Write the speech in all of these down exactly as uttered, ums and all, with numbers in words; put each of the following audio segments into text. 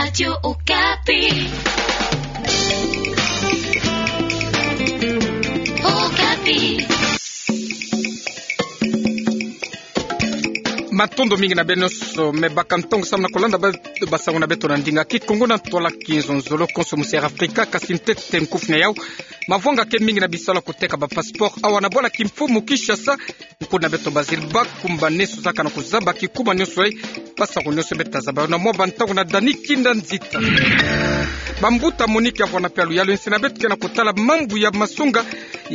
Radio Okapi. Okapi. Matondo mingi na beno nyonso me baka ntongo samu na kolanda ba-, basango na beto na ndinga Kikongo na ntwala kizonzolo konso musi Air Afrika, kasi ntete nkufi na yau mavwanga ke mingi na bisalu ya kuteka ba passeport awa na bwala kimfumu Kinshasa. Nkuna beto Bazile Bakumbane sozaka na kuzaba kikuma nyonso yayi, basango nyonso beto ta zaba yo na mwa bantangu na Dani Kinda Nzita. Bambuta Monique Yavwana mpe ya luyalu ya insi na beto ke na kutala mambu ya masonga.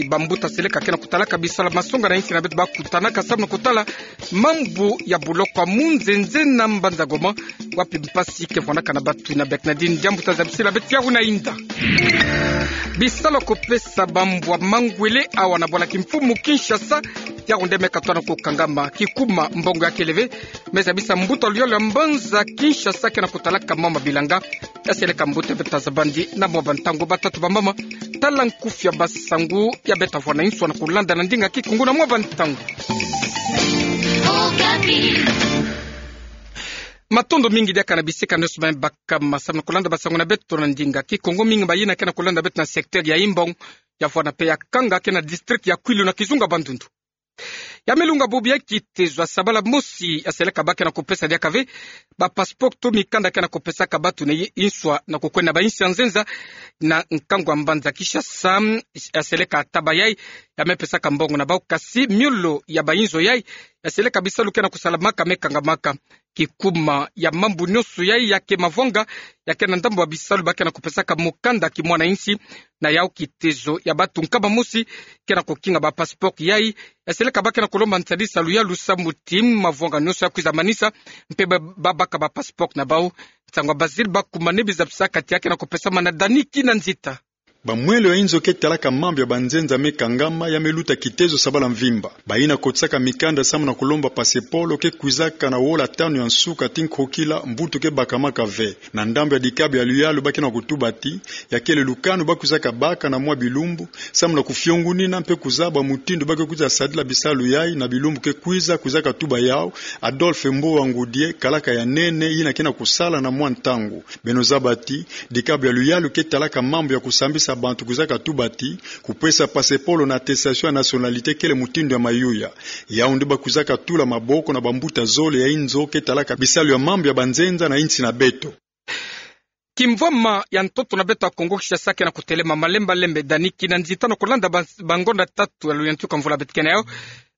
Bambuta Seleka ke na kutalaka bisalu ya masonga na insi na beto bakutanaka samu na kutala mambu ya buloko ya Munzenze na mbanza Goma, wapi mpasi ke vwanaka na batu. Na Bernadine Diambu ta zabisila beto yawu na inda. Bisalu ya kupesa bambwa mangwele awa na bwala kimfumu Kinshasa, yawu nde me katwa na kukangama. Kikuma mbongo ya kele ve, me zabisa mbuta luyalu ya mbanza Kinshasa ke na kutalaka mama bilanga. Ya Seleka mbuta beto ta zabandi na mwa bantangu. Batata bamama, tala nkufi ya basango ya beto ta vwa na inswa na kulanda na ndinga Kikongo na mwa bantangu. Matondo mingi diaka na bisika nyonso me bakama samu na kulanda basango na beto na ndinga Kikongo. Mingi mayina ke na kulanda beto na secteur ya Imbong, ya vwana mpe ya Kanga, ke na district ya Kwilu na kizunga Bandundu. Ya me lunga bubu ya kitezo ya sabala mosi ya Seleka ba ke na kupesa diaka ve ba passeport to mikanda ke na kupesaka batu na i-, inswa na kukwenda na bainsi ya nzenza na nkangu ya mbanza Kinshasa. Ya Seleka taba yayi ya me pesaka mbongo na bau, kasi miolo ya bainzo yayi ya Seleka bisalu ke na kusalamaka me kangamaka. Kikuma ya mambu nyonso yayi ya ke mavwanga, ya ke na ndambu ya bisalu ba ke na kupesaka mukanda kimwana insi, na yau kitezo ya batu nkama mosi ke na kukinga ba passeport yayi. Ya Seleka ba ke na kulomba nsadisa luyalu samu ti mavwanga nyonso ya kwiza manisa, mpe ba, babaka ba passeport na bau. Nsangu ya Bazile Bakumbane bizabisaka ti ya ke na kupesama na Dani Kinda Nzita. Bamwelo ya inzo ke talaka mambu ya banzenza me kangama, ya me luta kitezo sabala mvimba. Bayina kotisaka mikanda samu na kulomba passeport ke kwizaka na wola tanu ya nsuka ti nkokila, mbutu ke bakamaka ve. Na ndambu ya dikabu ya luyalu ba ke na kutuba ti ya kele lukanu ba kwizaka baka na mwa bilumbu samu na kufiongunina mpe kuzaba mutindu ba ke kwiza sadila bisalu yayi na bilumbu ke kwiza. Kwizaka tuba yau Adolphe Mbowa Ngudie, kalaka ya nene yina ke na kusala na mwa ntangu. Beno zaba ti dikabu ya luyalu ke talaka mambu ya kusambisa bantu kwizaka tuba ti kupesa passeport na attestation ya nationalité kele mutindu ya mayuya. Yau nde ba kwizaka tula maboko na bambuta zole ya inzo ke talaka bisalu ya mambu ya banzenza na insi na beto. Kimvwama ya ntoto na beto ya Kongo Kinshasa ke na kutelema malembe lembe. Dani Kinda Nzita, na kulanda ba-, bangonda tatu ya luyantika mvula beto ke na yau,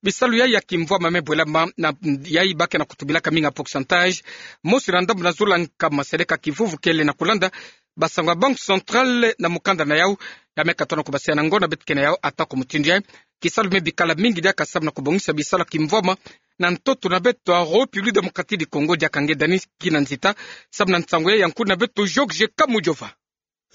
bisalu yayi ya kimvwama me bwelama, na yayi ba ke na kutubilaka mingi ya pourcentage. Mosi na ndambu na zole nkama Seleka Kivuvu kele na kulanda basango ya Banque Centrale na mukanda na yau, ya me katwa na kubasisa na ngonda beto ke na yau. Atako mutindu yayi, kisalu me bikala mingi diaka samu na kubongisa bisalu ya kimvwama na ntoto na beto ya République Démocratique du Congo. Diaka nge Dani Kinda Nzita samu na nsangu yayi ya nkuna beto Georges Kamujova.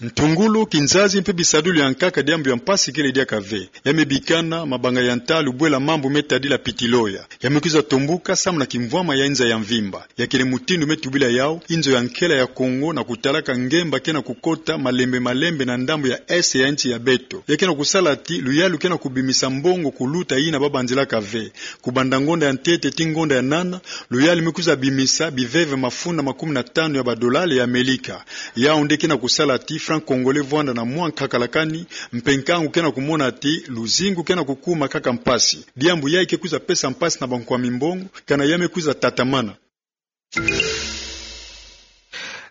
Ntungulu, kinzazi mpe bisadulu ya nkaka diambu ya mpasi kele diaka ve. Ya me bikana mabanga ya ntalu bwela mambu me tadila pitiloya. Ya me kwiza tombuka samu na kimvwama ya inza ya mvimba. Ya kele mutindu me tubila yau inzo ya nkela ya Kongo na kutalaka ngemba ke na kukota malembe malembe na ndambu ya est ya insi ya beto. Ya ke na kusala ti luyalu ke na kubimisa mbongo kuluta yina ba banzilaka ve. Kubanda ngonda ya ntete ti ngonda ya nana, luyalu me kwiza bimisa biveve mafunda makumi na tanu ya badolari ya Amelika. Yau nde ke na kusala ti franc congolais vwanda na mwa nkakalakani, mpe nkangu ke na kumona ti luzingu ke na kukuma kaka mpasi. Diambu yayi ke kwiza pesa mpasi na bankwa mimbongo, kana ya me kwiza tatamana.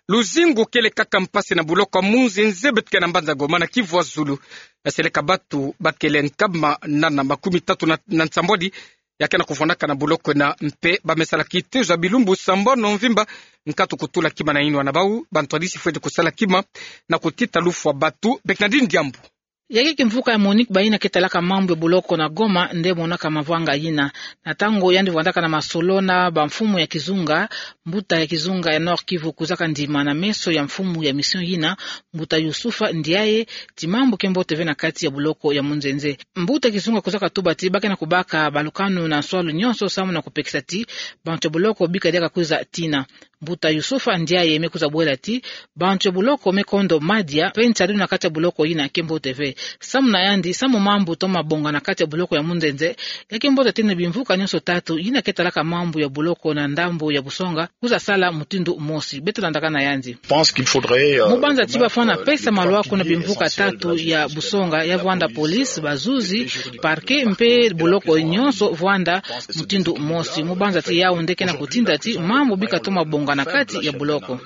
Luzingu kele kaka mpasi na buloko ya Munzenze, beto ke na mbanza Goma na Kivu ya Zulu. Ya Seleka batu ba kele nkama nana makumi tatu na, na nsambwadi ya ke na kuvwanaka na buloko ena, mpe ba me sala kitezo ya bilumbu sambanu mvimba, nkatu kutula kima na yinwa na bau, bantwadisi fweti kusala kima na kutita lufwa batu. Bernadine Diambu. Yaki kimvuka ya MONUC, bayina ke talaka mambu ya buloko na Goma nde monaka mavwanga yina. Na ntangu yandi vwandaka na masolo na bamfumu ya kizunga, mbuta ya kizunga ya Nord-Kivu kwizaka ndima na meso ya mfumu ya mission yina, mbuta Youssouf Ndiaye, ti mambu ke mbote ve na kati ya buloko ya Munzenze. Mbuta kizunga kwizaka tuba ti ba ke na kubaka balukanu na nswalu nyonso samu na kupekisa ti bantu ya buloko bika diaka kwiza tina. Mbuta Yusufa Ndiaye me kwiza bwela ti bantu ya buloko me kondo madia mpe ntiadu na kati ya buloko yina ke mbote ve. Samu na yandi, samu mambu toma bonga na kati ya buloko ya Munzenze, ya ke mbote ti na bimvuka nyonso tatu yina ke talaka mambu ya buloko na ndambu ya Busonga kwiza sala mutindu mosi. Beto landaka na yandi. Mu banza ti bafwana pesa malwaku na bimvuka tatu ya Busonga, ya vwanda police, bazuzi, parquet mpe buloko nyonso vwanda mutindu mosi. Mu banza ti yau nde ke na kutinda ti mambu bika toma bonga na kati ya buloko.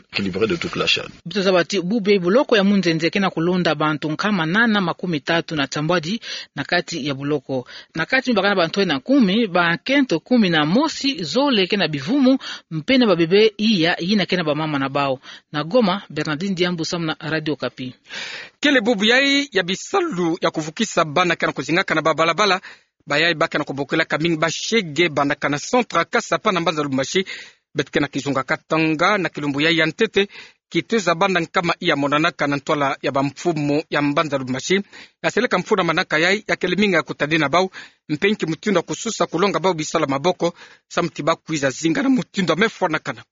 Beto zaba ti bubu buloko ya Munzenze ke na kulonda bantu nkama nana makumi tatu na nsambwadi na kati ya buloko. Na kati mbakana bantu ena kumi, bakento kumi na mosi zole ke na bivumu, mpe na babebe iya yina ke na bamama na bau. Na Goma, Bernardine Diambu samu na Radio Okapi. Kele bubu yai ya bisalu ya kuvukisa bana ke na kuzingaka na babalabala, bayai ba ke na kubokila ka mingi bashege bana ka na centre Kasapa na mbanza Lubumbashi. Beto ke na kizunga Katanga na kilumbu yai ya ntete, kituza bana nkama iya monanaka na ntwala ya bamfumu ya mbanza Lubumbashi. Ya seleka mfunu ya manaka yai ya kele mingi ya kutadina bau, mpe nki mutindu ya kususa kulonga bau bisalu ya maboko, samu ti ba kwiza zinga na mutindu ya mefwanakana.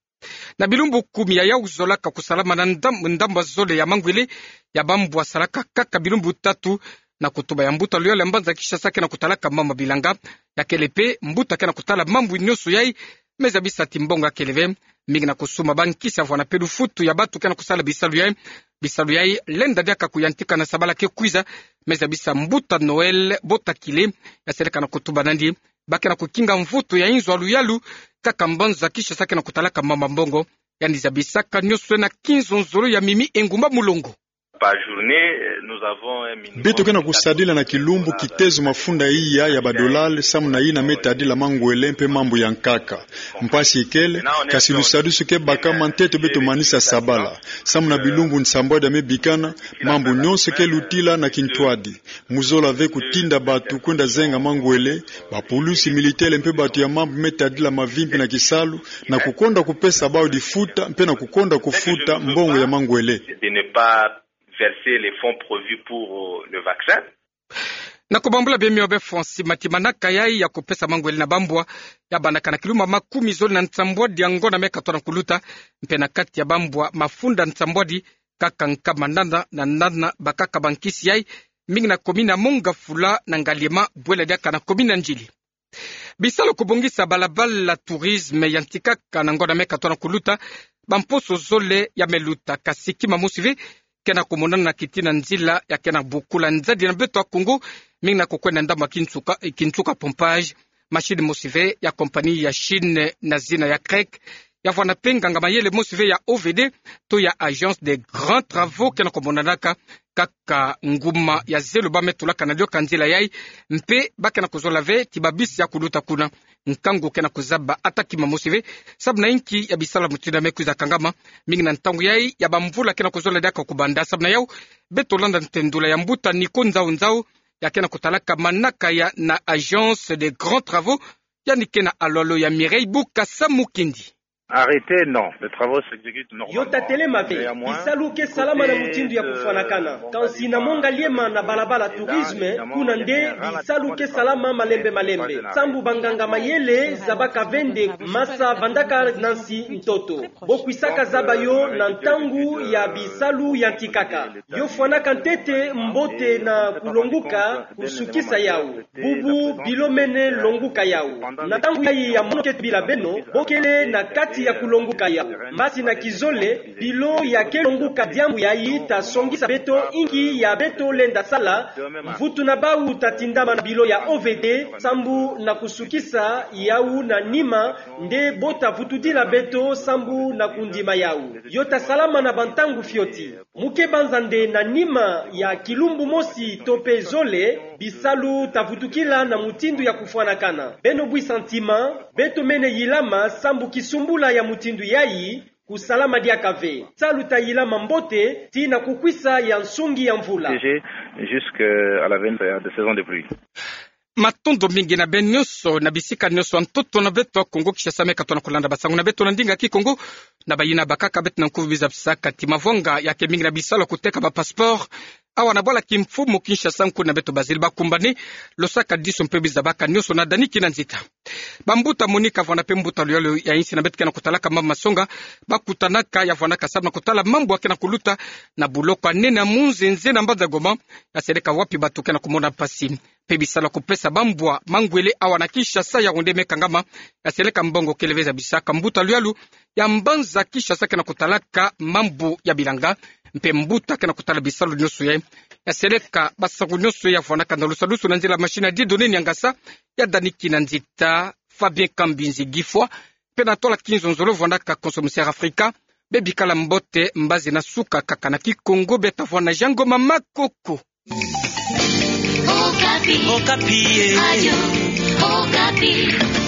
Na bilumbu kumi ya yau zolaka kusalama na ndam-, ndambu ya zole ya mangwele ya bambwa salaka kaka bilumbu tatu, na kutuba ya mbuta loyal ya mbanza Kinshasa ke na kutalaka mambu ya bilanga, ya kele mpe mbuta ke na kutala mambu nyonso yai, me zabisa ti mbongo ya kele ve, mingi na kusuma bankisi ya vwanda mpe lufutu ya bantu ke na kusala bisalu yai. Bisalu yai lenda diaka kuyantika na sabala ke kwiza, me zabisa mbuta Noël Botakile, ya seleka na kutuba nandi ba ke na kukinga mvutu ya inzo ya luyalu, kaka mbanza Kinshasa ke na kutalaka mambu ya mbongo, yandi zabisaka nyonso na kinzonzolo ya mimi engumba mulongo. Par journée, nous avons un minimum. Beto ke na kusadila na kilumbu kitezo mafunda iya ya badolari, samu na yina me tadila mangwele mpe mambu ya nkaka. Mpasi ikele, kasi lusadusu ke baka ma ntete beto manisa sabala. Samu na bilumbu nsambwadi ya me bikana, mambu nyonso ke lutila na kintwadi. Mu zola ve kutinda bantu kwenda zenga mangwele, bapulusi, militaire mpe bantu ya mambu me tadila mavimpi na kisalu, na kukonda kupesa bau difuta, mpe na kukonda kufuta mbongo ya mangwele. De ne pas verser les fonds prévus pour, euh, le vaccin. Na kubambula bie mio be Francis Mati, manaka yai ya kupesa mangwele na bambwa ya bandaka na kilumbu makumi zole na nsambwadi ya ngonda me katona kuluta, mpe na kati ya bambwa mafunda nsambwadi kaka nkama nana na nana bakaka bankisi yai, mingi na commune ya Mont-Ngafula na Ngaliema, bwela diaka na commune ya N'djili. Bisalu kubongisa balabala tourisme yantikaka na ngonda me katona kuluta, bamposo zole ya me luta, kasi kima mosi ve ke na kumonana na kiti na nzila ya ke na bukula nzadi na beto ya Kongo, mingi na kukwenda ndambu ya kinsuka, kinsuka pompage. Machine mosi ve ya compagnie ya Chine na zina ya CREC, ya vwanda mpe nganga mayele mosi ve ya O V D, to ya Agence des Grands Travaux, ke na kumonanaka kaka nguma ya zelo ba me tulaka na dioka nzila yai, mpe ba ke na kuzola ve ti babisi ya kuluta kuna. Nkangu ke na kuzaba ata kima mosi ve, samu na inki ya bisalu mutindu ya me kwiza kangama, mingi na ntangu yai ya bamvula ke na kuzola diaka kubanda. Samu na yau, beto landa ntendula ya mbuta Nico Nzau Nzau, ya ke na kutalaka manaka ya na Agence des Grands Travaux, yandi ke na alwalo ya Mireille Bukasa Mukindi. Arrêté, non. Les travaux s'exécutent normalement. Yo ta telema ve, bisalu ke salama na mutindu ya kufwanakana. Kansi na Mont-Ngaliema na balabala tourisme, kuna nde bisalu ke salama malembe malembe. Sambu banganga mayele zabaka ve nde masa vandaka na nsi ntoto. Bo kwisaka zaba yo na ntangu ya bisalu yantikaka. Yo fwanaka ntete mbote na kulonguka kusukisa yau. Bubu bilo mene longuka yau. Na ntangu yai ya mono ke tubila beno, bo kele na kati ya kulonguka yau. Mbasi na kizole, bilo ya ke longuka diambu yai ta songisa beto inki ya beto lenda sala, mvutu na bau ta tindama na bilo ya O V D, sambu na kusukisa yau na nima, nde bo ta vutudila beto sambu na kundima yau. Yo ta salama na bantangu fioti. Mu ke banza nde na nima ya kilumbu mosi to mpe zole, bisalu ta vutukila na mutindu ya kufwanakana. Beno bwisa ntima, beto mene yilama sambu kisumbula ya mutindu yai, kusalama diaka ve. Salu ta yilama mbote, tii na kukwisa ya nsungi ya mvula. Protégé jusqu'à la fin de saison de pluie. Matondo mingi na beno nyonso, na bisika nyonso ya ntoto na beto ya Kongo Kinshasa me katona kulanda basangu na beto na ndinga Kikongo. Na bayina bakaka beto na nkuvu biza bisaka ti mavanga ya ke mingi na bisalu ya kuteka ba passeport awa na bwala kimfumu Kinshasa, nkuna beto bazili bakumbani, lo sakadiso mpe bizabaka nionso na dani kina nzita. Bambuta Monica Vwanda mpe mbuta Luyalu ya insi na beto ke na kutalaka mambu masonga, bakutanaka ya vwandaka salu na kutala mambu ya ke na kuluta na buloko ya nene ya Munzenze na mbanza Goma, ya seleka wapi bato ke na kumona mpasi. Mpe bisalu ya kupesa bambwa mangwele awa na Kinshasa, Yaoundé mpe kangama, ya seleka mbongo kele ve zabisaka. Mbuta Luyalu ya mbanza Kinshasa ke na kutalaka mambu ya bilanga, mpe mbuta ke na kutala bisalu nionso ye, ya seleka basaku nionso ya vwandaka na lusalusu na nzila machine ya Dieudonné Niangasa, ya dani kina nzita Fabien Kambinzi Gifwa, mpe na tola Kinzonzolo vwandaka konso musi ya Afrika. Bebikala mbote, mbazi na suka kaka na Kikongo, beta vwa na Jean Ngoma Makoko. Okapi. Okapi, eh. Radio Okapi.